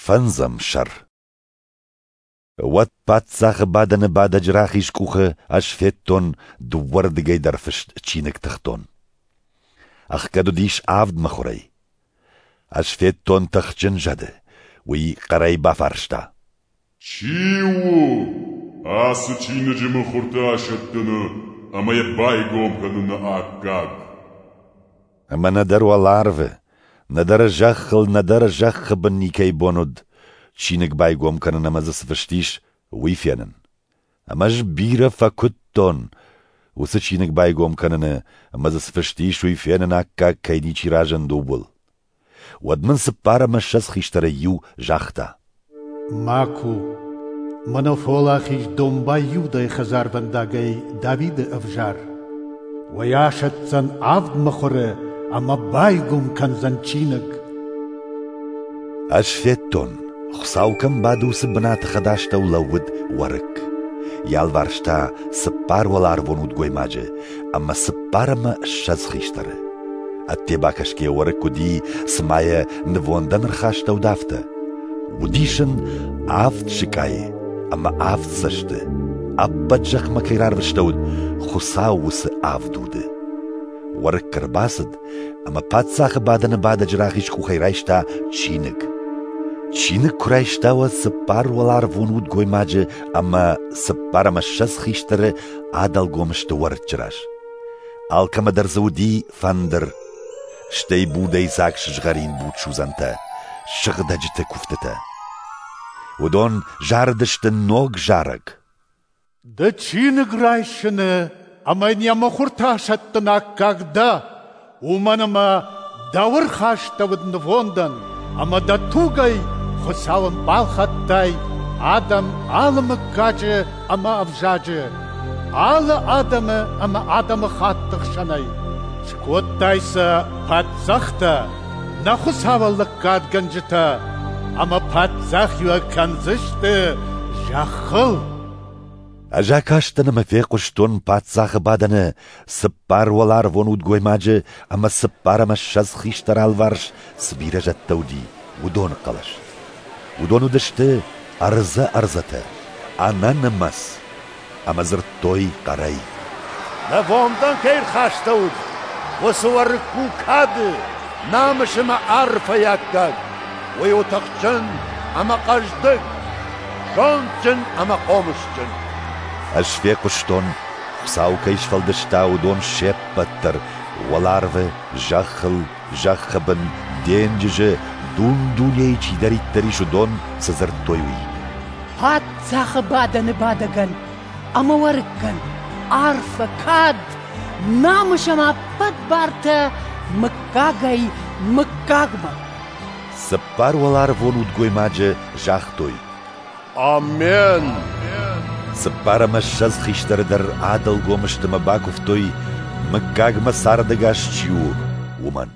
Фӕндзӕм сӕр. Уӕд паддзахы бадӕны бадӕджы рахиз къухы ӕз федтон дыууӕрдыгӕй дӕр фыст чиныг тыхтон. Ӕхгӕд уыдис авд мыхуырӕй. Ӕз федтон тыхджын зӕды. Уый хъӕрӕй бафарста: Чи у ацы чиныджы мыхуыртӕ асӕттыны ӕмӕ йӕ байгом кӕныны аккаг? Ӕмӕ нӕдӕр уӕларвы, нӕдӕр зӕххыл, нӕдӕр зӕххы бын никӕй бон уыд чиныг байгом кӕнын ӕмӕ дзы цы фыст ис, уый фенын. Ӕмӕ ӕз бирӕ фӕкуыдтон, уыцы чиныг байгом кӕныны ӕмӕ дзы цы фыст ис, уый фенын аккаг кӕй ничи разынд, ууыл. Уӕд мын 24 хистӕрӕй иу загъта: Ма ку, мӕнӕ фӕуӕлахиз домбай Иудӕйы хӕдзарвӕндагӕй Давиды ӕвзар. Уый асӕтдзӕн авд мыхуыры ӕмӕ байгом кӕндзӕн чиныг. Ӕз федтон, Хуыцау кӕм бады, уыцы бынаты хӕдастӕу лӕууыд уӕрыкк. Йӕ алыварс та цыппар уӕларвон удгоймаджы ӕмӕ 24 хистӕры. Ӕдде бакӕсгӕйӕ уӕрыкк уыди, цыма йӕ нывондӕн ӕрхастӕуыд, афтӕ. Уыдис ын авд сыкъайы ӕмӕ авд цӕсты, ӕппӕт зӕхмӕ кӕй рарвыстӕуыд, Хуыцау уыцы авд уды. Уӕрыкк ӕрбацыд ӕмӕ паддзахы бадӕны бадӕджы рахиз къухӕй райста чиныг. Чиныг куы райста, уӕд цыппар уӕларвон удгоймаджы ӕмӕ 24 хистӕры адӕлгом сты уӕрыччы раз. Алкӕмӕ дӕр дзы уыди фӕндыр, стӕй будӕй дзаг сызгъӕрин будсудзӕнтӕ, сыгъдӕджыты куывтытӕ. Уыдон зарыдысты ног зарӕг. Ды чиныг райсыны ӕмӕ йын йӕ мыхуыртӕ асӕттыны аккаг дӕ, уымӕн ӕмӕ дӕу ӕрхастӕуыд нывондӕн, ӕмӕ дӕ тугӕй Хуыцауӕн балхӕдтай адӕм алы мыггаджы ӕмӕ ӕвзаджы, алы адӕмы ӕмӕ адӕмыхатты хсӕнӕй. Скодтай сӕ паддзӕхтӕ, нӕ Хуыцауӕн лӕггадгӕнджытӕ, ӕмӕ паддзахиуӕг кӕндзысты зӕххыл. Ӕз акастӕн ӕмӕ фехъуыстон паддзахы бадӕны цыппар уӕларвон удгоймаджы ӕмӕ 24 хистӕры алыварс цы бирӕ зӕдтӕ уыди, уыдоны хъӕлӕс. Уыдон уыдысты ӕрдзӕ-ӕрдзӕтӕ, ӕнӕнымӕц, ӕмӕ дзырдтой хъӕрӕй: Нывондӕн кӕй ӕрхастӕуыд, уыцы уӕрыкк у кады, намыс ӕмӕ арфӕйы аккаг. Уый у тыхджын ӕмӕ хъӕздыг, зондджын ӕмӕ хъомысджын. Ӕз фехъуыстон, Хуыцау кӕй сфӕлдыста, уыдон се ппӕт дӕр уӕларвы, зӕххыл, зӕххы бын, денджызы, дун-дунейы чидӕриддӕр ис, уыдон цы дзырдтой, уый. Паддзахы бадӕны бадӕгӕн ӕмӕ уӕрыккӕн арфӕ, кад, намыс ӕмӕ ӕппӕт бартӕ мыггагӕй мыггагмӕ. Цыппар уӕларвон удгоймаджы загътой: Амен! 24 хистӕры дӕр адӕлгом сты ӕмӕ бакуывтой, мыггагмӕ цардӕгас чи у, уымӕн.